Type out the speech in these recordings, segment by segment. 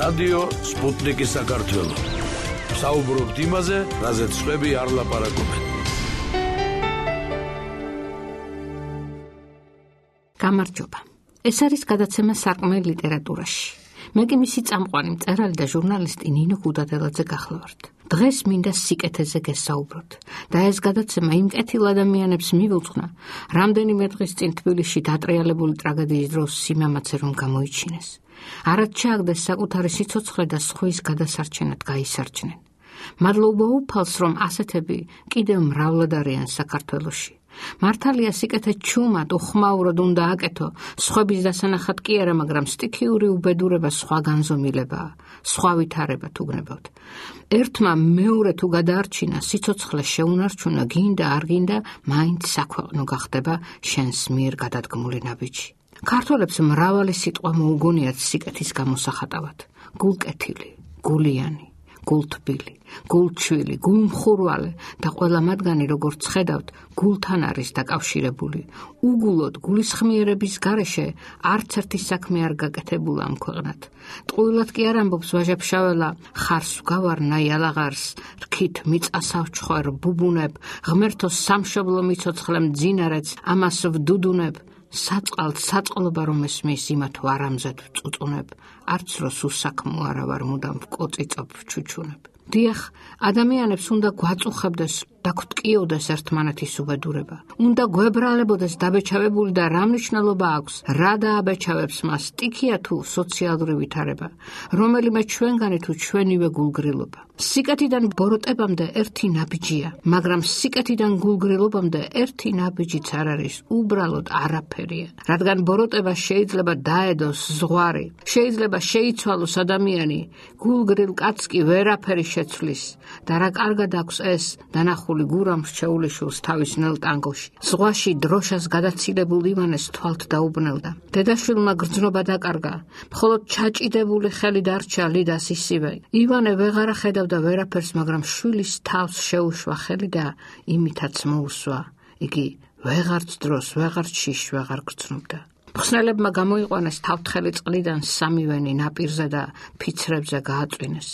რადიო სპუტნიკი საქართველო. საუბრობთ იმაზე, რაზეც სხვები არ ლაპარაკობენ. გამარჯობა. ეს არის გადაცემა სარკმელი ლიტერატურაში. მე კი მისი წამყვანი მწერალი და ჟურნალისტი ნინო ქუდადელაძე გახლავართ. დღეს მინდა სიკეთეზე გესაუბროთ და ეს გადაცემა იმ კეთილ ადამიანებს მივუძღვნა, რამდენიმე დღის წინ თბილისში დატრიალებული ტრაგედიის დროს სიმამაცე რომ გამოიჩინეს. არად ჩააგდეს საკუთარი სიცოცხლე და სხვის გადასარჩენად გაისარჩნენ. მადლობა უფალს, რომ ასეთები კიდევ მრავლად არიან საქართველოში. მართალია სიკეთე ჩუმად უხმაუროდ უნდა აკეთო, სხვების დასანახად კი არა, მაგრამ სტიქიური უბედურება სხვა განზომილებაა, სხვა ვითარება თუ გნებავთ. ერთმა მეორე თუ გადაარჩინა, სიცოცხლე შეუნარჩუნა, გინდა არ გინდა, მაინც საქვეყნო გახდება შენს მიერ გადადგმული ნაბიჯი. ქართველებს მრავალი სიტყვა მოუგონიათ სიკეთის გამოსახატავად. გულკეთილი, გულიანი, გულთბილი, გულჩვილი, გულმხურვალე და ყველა მათგანი, როგორც ხედავთ, გულთან არის დაკავშირებული. უგულოდ გულისხმიერების გარეშე არც ერთი საქმე არ გაკეთებულა ამ ქვეყნად. ტყუილად კი არ ამბობს ვაჟა-ფშაველა, ხარს ვგავარნა იალაღარს, რქით მიწასავ ჩხვერ ბუბუნებ, ღმერთო სამშობლო მიცოცხლე მძინარეც, ამას ვდუდუნებ. საწყალთ საწყლობა რომ ესმის, იმათ ვარამზად ვწუწუნებ, არც როს უსაქმო არა ვარ, მუდამ ვკოწიწობ ვჩუჩუნებ. დიახ, ადამიანებს უნდა გვაწუხებდეს და გვტკიოდეს ერთმანეთის უბედურება. უნდა გვებრალებოდეს დაბეჭავებული და რა მნიშვნელობა აქვს, რა დააბეჭავებს მას, სტიქია თუ სოციალური ვითარება, რომელიმე ჩვენგანი თუ ჩვენივე გულგრილობა. სიკეთიდან ბოროტებამდე ერთი ნაბიჯია, მაგრამ სიკეთიდან გულგრილობამდე ერთი ნაბიჯიც არ არის, უბრალოდ არაფერია. რადგან ბოროტება შეიძლება დაედოს ზღვარი, შეიძლება შეიცვალოს ადამიანი, გულგრილ კაცს კი ვერაფერი შეცვლის და რა კარგად აქვს ეს დანახული გურამ შეულიშულს თავის ნელ ტანგოში. ზღვაში დროშას გადაცილებულ ივანეს თვალთ დაუბნელდა. დედაშვილმა გრძნობა დაკარგა, მხოლოდ ჩაჭიდებული ხელი დარჩა ლიდას ისივე. ივანე ვეღარა ხედავდა ვერაფერს, მაგრამ შვილის თავს შეუშვა ხელი და იმითაც მოუსვა. იგი ვეღარც დროს, ვეღარც შიშ, ვეღარ გრძნობდა. მხსნელებმა გამოიყვანეს თავთხელი წყლიდან სამივენი ნაპირზე და ფიცრებზე გააწვინეს.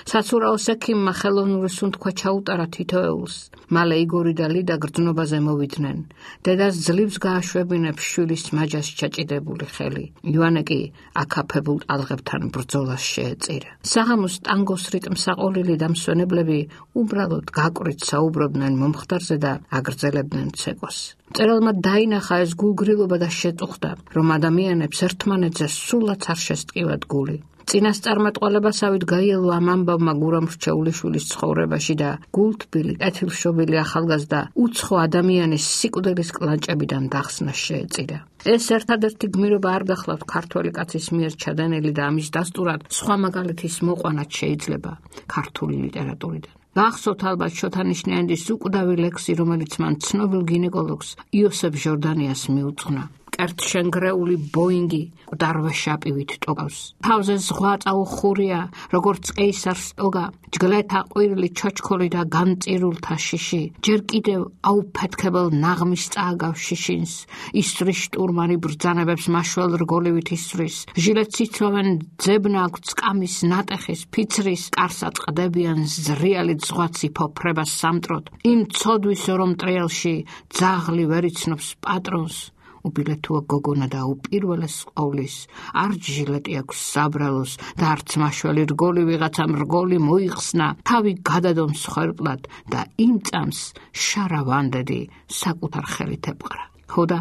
საცურაოს ექიმმა ხელოვნური სუნთქვა ჩაუტარა თითოეულს. მალე იგორი და ლიდა გრძნობაზე მოვიდნენ. დედას ძლივს გააშვებინებს შვილის მაჯას ჩაჭიდებული ხელი. ივანე კი აკაფებულ ტალღებთან ბრძოლას შეეწირა. საღამოს ტანგოს რიტმს აყოლილი დამსვენებლები უბრალოდ გაკვრით საუბრობდნენ მომხდარზე და აგრძელებდნენ ცეკვას. მწერალმა დაინახა ეს გულგრილობა და შეწუხდა, რომ ადამიანებს ერთმანეთზე სულაც არ შესტკივათ გული. წინასწარმეტყველებასავით გაიელო ამ ამბავმა გურამ რჩეულიშვილის ცხოვრებაში და გულთბილი, კეთილშობილი ახალგაზრდა უცხო ადამიანის სიკვდილის კლანჭებიდან დახსნა შეეწირა. ეს ერთადერთი გმირობა არ გახლავთ ქართველი კაცის მიერ ჩადენილი და ამის დასტურად სხვა მაგალითის მოყვანაც შეიძლება ქართული ლიტერატურიდან. გახსოვთ ალბათ შოთანიშნიანის უკვდავი ლექსი, რომელიც მან ცნობილ გინეკოლოგს იოსებ ჟორდანიას მიუძღვნა. კერტშენგრეული ბოინგი მკვდარვე შაპივით ტოგავს. თავზე ზღვა წაუხურია, როგორც კეისარს ტოგა, ჯგლეთა ყვირილი ჩოჩქოლი და განწირულთა შიში. ჯერ კიდევ აუფეთქებელ ნაღმის წააგავს შიშინს, ისვრის შტურმანი ბრძანებებს მაშველ რგოლივით ისვრის. ჟილეთს იცვავენ ძებნა აქვთ სკამის ნატეხის, ფიცრის, კარსა წყდებიან ზრიალით ზღვაცი ფოფრებას სამტროთ. იმ ცოდვის რომ ტრიალში ძაღლი ვერ იცნობს პატრონს. უბილეთოა გოგონა და უპირველეს ყოვლის, არც ჟილეტი აქვს საბრალოს და არც მაშველი რგოლი ვიღაცამ რგოლი მოიხსნა, თავი გადადონ მსხვერპლად და იმ წამს შარავანდედი საკუთარ ხელით ებყრა. ხოდა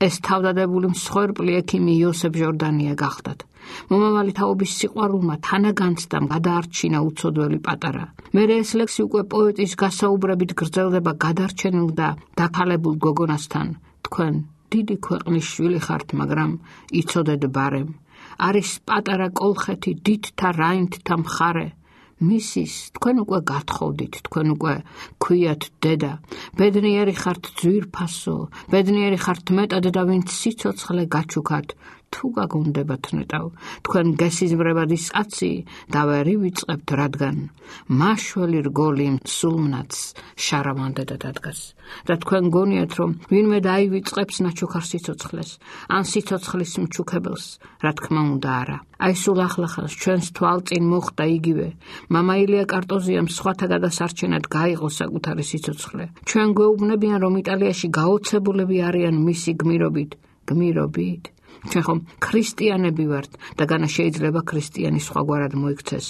ეს თავდადებული მსხვერპლი ექიმი იოსებ ჟორდანია გახდათ. მომავალი თაობის სიყვარულმა თანაგანცდამ გადაარჩინა უცოდველი პატარა. მერე ეს ლექსი უკვე პოეტის გასაუბრებით გრძელდება გადარჩენილ და დაქალებულ გოგონასთან. თქვენ დიდი ქვეყნის შვილი ხართ, მაგრამ იცოდეთ ბარემ. არის პატარა კოლხეთი დიდთა რაინდთა მხარე. მისის თქვენ უკვე გათხოვდით, თქვენ უკვე ქვიათ დედა. ბედნიერი ხართ ძვირფასო, ბედნიერი ხართ მეტად და ვინც სიცოცხლე გაჩუქათ, თუ გაგონდებათ ნეტავ, თქვენ გესიზმრებად ის კაცი და ვერ ივიწყებთ, რადგან მაშველი რგოლი სულმნაც შარავანდედა დადგას. და თქვენ გონიათ, რომ ვინმე დაივიწყებს ნაჩუქარ სიცოცხლეს, ან სიცოცხლის მჩუქებელს, რა თქმა უნდა არა. აი სულ ახლახანს ჩვენს თვალწინ მოხდა იგივე. მამა ილია კარტოზიამ სხვათა გადასარჩენად გაიღო საკუთარი სიცოცხლე. ჩვენ გვეუბნებიან, რომ იტალიაში გაოცებულები არიან მისი გმირობით. ჩვენ ხომ ქრისტიანები ვართ და განა შეიძლება ქრისტიანი სხვაგვარად მოიქცეს.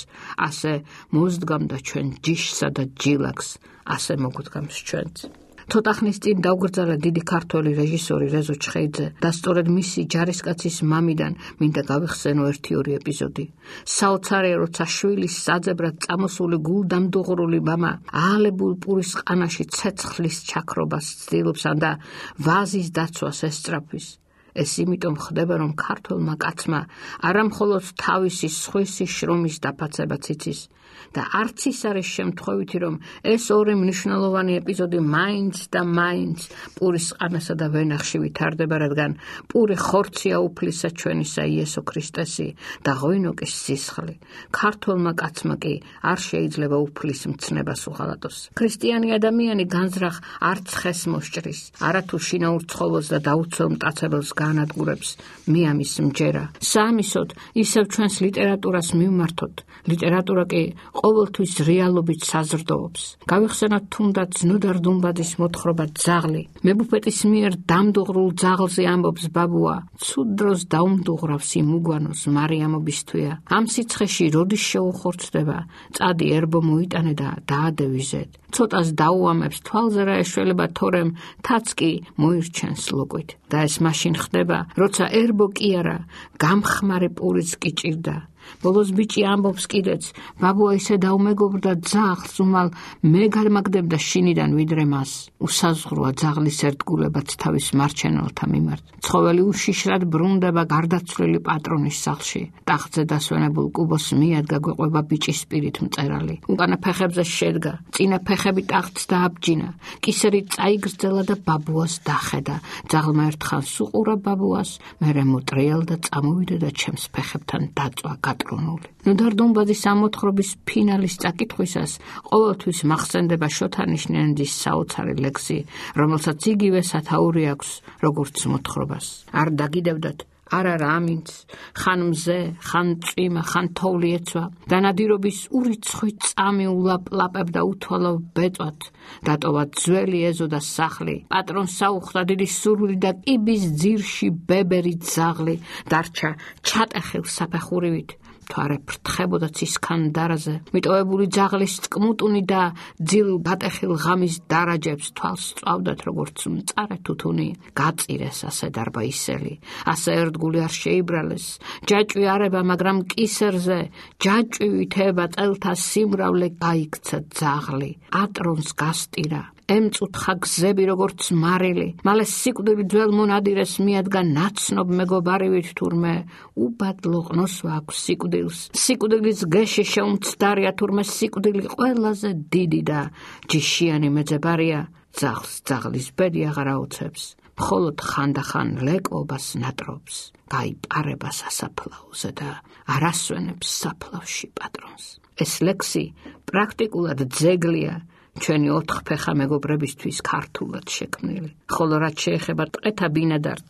ასე მოძდგამდა ჩვენ ჯიშსა და ჯილაკს, ასე მოგვდგამს ჩვენც. ცოტა ხნის წინ დაუგრძელა დიდი ქართველი რეჟისორი რეზო ჩხეიძე და სწორედ მისი ჯარისკაცის მამიდან მინდა გავიხსენო 1-2 ეპიზოდი. საოცარია, როცა შვილის საძებრად წამოსული გულდამდუღრული მამა აალებულ პურის ყანაში ცეცხლის ჩაქრობას ცდილობს და ვაზის დაცვას ესწრაფვის. ეს იმიტომ ხდება, რომ ქართველმა კაცმა არა მხოლოდ თავისი სხვისი შრომის დაფაცებაც იცის და არც ის არის შემთხვევითი, რომ ეს ორი მნიშვნელოვანი ეპიზოდი მაინც პურის ყანასა და ვენახში ვითარდება, რადგან პური ხორცია უფლისა ჩვენისა იესო ქრისტესი და ღვინოკის სისხლი. ქართველმა კაცმა კი არ შეიძლება უფლის მცნებას უღალატოს. ქრისტიანი ადამიანი განზრახ არც ხეს მოსჭრის, არათუ შინაურ ცხოველს და დაუცველ მტაცებელს განადგურებს. მე ამის მჯერა. საამისოდ ისევ ჩვენს ლიტერატურას მივმართოთ. ლიტერატურა კი ყოველთვის რეალობით საზრდოობს. გავიხსენოთ თუნდაც ნუდარ-დუმბადის მოთხრობა ძაღლი. მებუფეტის მიერ დამდუღრულ ძაღლზე ამბობს ბაბუა, ცუდ დროს დაუმდუღრავს იმ უგვანოს მარიამობისთვია. ამ სიცხეში როდის შეუხორცდება, წადი ერბო მოიტანე და დაადევიზეთ. ცოტას დაუამებს თვალზე რა ეშველება, თორემ თაც კი მოირჩენს ლოკვით. და ეს მაშინ ხდება, როცა ერბო კი არა, გამხმარი პურიც კი ჭირდა. ბოლოს ბიჭი ამბობს კიდეც, ბაბუა ისე დაუმეგობრდა ძაღლს, უმალ მე გადმაგდებდა შინიდან ვიდრე მას. უსაზღვროა ძაღლის ერთგულებაც თავის მარჩენელთა მიმართ. ცხოველი უშიშრად ბრუნდება გარდაცვლილი პატრონის სახლში. ტახტზე დასვენებულ კუბოს მიადგა გვეყვება ბიჭის პირით მწერალი. უკანა ფეხებზე შედგა, წინა ფეხები ტახტს დააბჯინა. კისერი წაიგრძელა და ბაბუას დახედა. ძაღლმა ერთხანს უყურა ბაბუას, მერე მოტრიალდა, წამოვიდა და ჩემს ფეხებთან დაწვა გატრონული. ნუდარ-დუმბადის ამოთხრობის ფინალის წაკითხვისას ყოველთვის მახსენდება შოთანიშნიანის საოცარი ლექსი, რომელსაც იგივე სათაური აქვს, როგორც მოთხრობას. არ დაგიდევდათ, არა ამინც, ხან მზე, ხან წვიმა, ხან თოვლი ეცვა, და ნადირობის ურიცხვი წამი ულაპლაპებდა უთვალავ ბეწვათ, დატოვა ძველი ეზო და სახლი, პატრონს საუხდა დიდი სურვილი და კიბის ძირში ბებერი ძაღლი, დარჩა ჩატეხილ საფეხურივით. თვარე ფრთხებოდა ცისქანდარაზე, მიტოვებული ძაღლის წკმუტუნი და ძილ გატეხილ ღამის დარაჯებს თვალს სწვავდათ, როგორც მწარე თუთუნი. გაწირეს ასე დარბაისელი, ასე ერთგული არ შეიბრალეს. ჯაჭვი არება, მაგრამ კისერზე, ჯაჭვი ვითება წელთა სიმრავლე გაიქცა ძაღლი. ატრონს გასტირა. ემწუთხა გზები როგორც მარილი. მალე სიკვდილი ძველ მონადირეს მიადგა ნაცნობ მეგობარივით, თურმე უბადლო ყნოსვა აქვს სიკვდილს. სიკვდილის გეში შეუმცდარია, თურმე სიკვდილი ყველაზე დიდი და ჯიშიანი მეძებარია. ძაღლს ძაღლის ბედი აღარ აუცებს, მხოლოდ ხანდახან ლეკობას ნატრობს. გაიპარება სასაფლაოზე და არ ასვენებს საფლავში პატრონს. ეს ლექსი პრაქტიკულად ძეგლია ჩვენი 4 ფეხა მეგობრებისთვის ქართულად შექმნილი. ხოლო რაც შეეხება ტყეთა ბინადართ,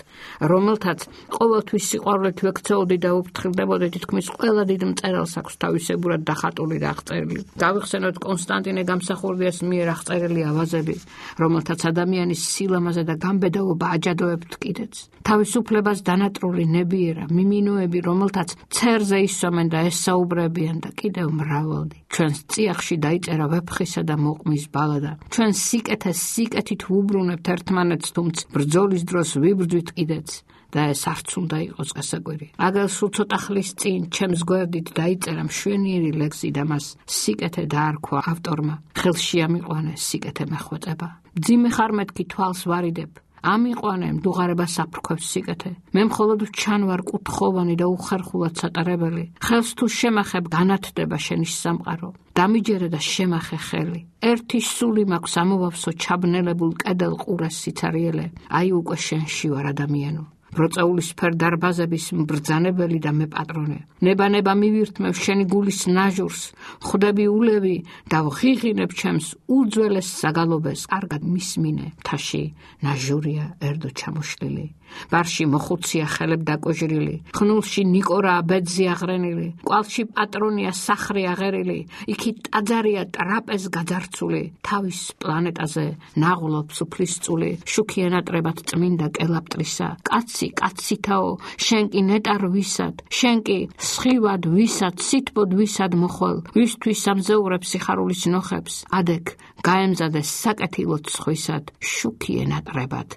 რომელთაც ყოველთვის სიყვარულით ვექცეოდი და უფრთხილდებოდი, თითქმის ყველა დიდ მწერალს აქვს თავისებურად დახატული და აღწერილი. გავიხსენოთ კონსტანტინე გამსახურდიას მიერ აღწერილი ავაზები, რომელთაც ადამიანის სილამაზე და გამბედაობა აჯადოებთ კიდეც. თავისუფლებას დანატრული ნებიერა, მიმინოები, რომელთაც ცერზე ისვამენ და ესაუბრებიან და კიდევ მრავალდი. ჩვენს წიაღში დაიწერა ვეფხისა და მოყმის ბალადა. ჩვენ სიკეთეს სიკეთით ვუბრუნებთ ერთმანეთს, თუმცა ბრძოლის დროს ვიბრძვით კიდეც. და ეს არც უნდა იყოს გასაკვირი. აგერ სულ ცოტა ხლის წინ ჩემს გვერდით დაიწერა მშვენიერი ლექსი და მას სიკეთე დაარქვა ავტორმა. ხელში ამიყვანე სიკეთე მეხვეწება. მძიმე ხარ მეთქი თვალს ვარიდებ. ამიყვანე მდუღარებას აფრქვევს სიკეთე. მე მხოლოდ ჩანვარ კუთხოვანი და უხერხულად სატარებელი. ხელს თუ შემახებ განათდება შენი სამყარო. დამიჯერე და შემახე ხელი. ერთი სული მაქვს ამოვავსო ჩაბნელებულ კედელ ყურეს სიცარიელე. აი უკვე შენში ვარ ადამიანო. ბროწეულის ფერ დარბაზების მბრძანებელი და მე პატრონე. ნება მივირთმევ შენი გულის ნაჟურს, ხვდები ულევი და ვღიღინებ ჩემს უძველეს საგალობეს. კარგად მისმინე, მთაში ნაჟურია ერთო ჩამოშლილი. ბარში მოხუცია ხელებ დაკოჟრილი, ხნულში ნიკორაა ბედზი აღრენილი, კვალში პატრონია სახრი აღერილი, იქით ტაძარია ტრაპეზ გაძარცული, თავის პლანეტაზე ნაღლობს უფლისწული, შუქი ენატრებად წმინდა კელაპტრისა. კაცითაო, შენ კი ნეტარ ვისად, შენ კი სხივად ვისად, სითბოდ ვისად მოხვალ, ვისთვის ამზეურებ სიხარულის ნოხებს, ადეკ გაემზადეს საკეთილოდ სხვისად, შუქი ენატრებად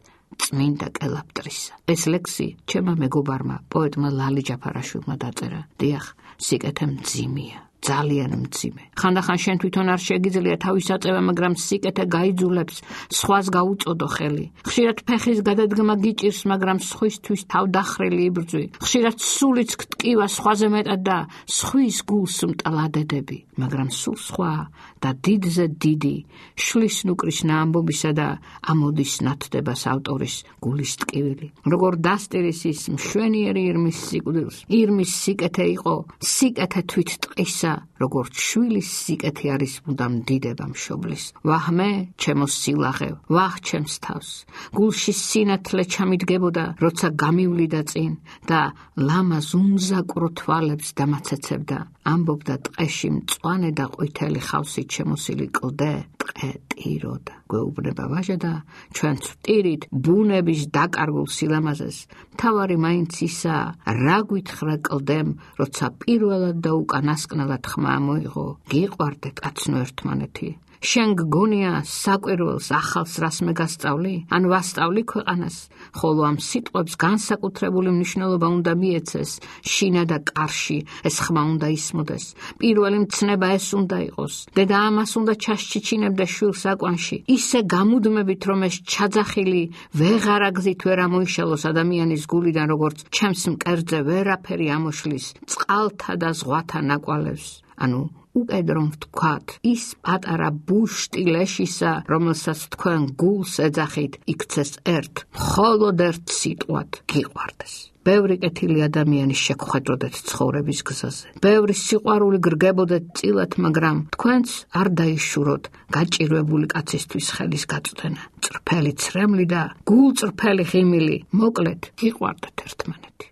წმინდა კელაპტრისა. ეს ლექსი ჩემმა მეგობარმა, პოეტმა ლალი ჯაფარაშვილმა დაწერა. დიახ, სიკეთე მძიმეა, ძალიან მძიმე. ხანდახან შენ თვითონ არ შეგიძლია თავის აწევა, მაგრამ სიკეთე გაიძულებს სხვას გაუწოდო ხელი. ხშირად ფეხის გადადგმა გიჭირს, მაგრამ სხვისთვის თავდახრილი იბრძვი. ხშირად სულიც გტკივა სხვაზე მეტად და სხვის გულს მტლადედები, მაგრამ სულ სხვა და დიდზე დიდი შლის ნუკრისნა ამბობისა და ამოდის ნათდებას ავტორის გულის ტკივილი. როგორ დასტირის ის მშვენიერი ირმის სიკვდილს, ირმის სიკეთე იყო, სიკეთე თვით ტყისა, როგორც შვილის სიკეთე არის მუდამ დიდება მშობლის. ვაჰ მე, ჩემო სილაღევ, ვაჰ ჩემს თავს, გულში სინათლე ჩამიდგებოდა, როცა გამივლიდა წინ და ლამაზ უმზაკრო თვალებს დამაცეცებდა. ამბობდა ტყეში მწვანე და ყვითელი ხავსით შემოსილი კლდე, ტყე ტიროდა. გვეუბნება ვაჟა და ჩვენც ვტირით ბუნების დაკარგულ სილამაზეს. მთავარი მაინც ისაა, რა გვითხრა კლდემ, როცა პირველად და უკანასკნელად ხმა მოიღო, გიყვარდეთ კაცნო ერთმანეთი. შენ გგონია საკვირველს ახალს რას მე გასწავლი, ან ვასწავლი ქვეყანას, ხოლო ამ სიტყვებს განსაკუთრებული მნიშვნელობა უნდა მიეცეს, შინა და კარში ეს ხმა უნდა ისმოდეს. პირველი მცნება ეს უნდა იყოს. დედა ამას უნდა ჩასჩიჩინებდა შვილს აკვანში, ისე გამუდმებით, რომ ეს ჩაძახილი ვეღარ აგზით ვერ ამოიშალოს ადამიანის გულიდან, როგორც ჩემს მკერდზე ვერაფერი ამოშლის წყალთა და ზღვათა ნაკვალევს. ანუ უკედრომ ვთქვათ, ის პატარა ბუშტი ლეშისა, რომელსაც თქვენ გულს ეძახით, იქცეს ერთ, მხოლოდ ერთ სიტყვად გიყვარდეს. ბევრი კეთილი ადამიანი შეგხვედროდეთ ცხოვრების გზაზე. ბევრი სიყვარული გრგებოდეთ წილად, მაგრამ თქვენც არ დაიშუროთ გაჭირვებული კაცისთვის ხელის გაწვდენა. წრფელი ცრემლი და გულწრფელი ღიმილი, მოკლედ გიყვარდეთ ერთმანეთი.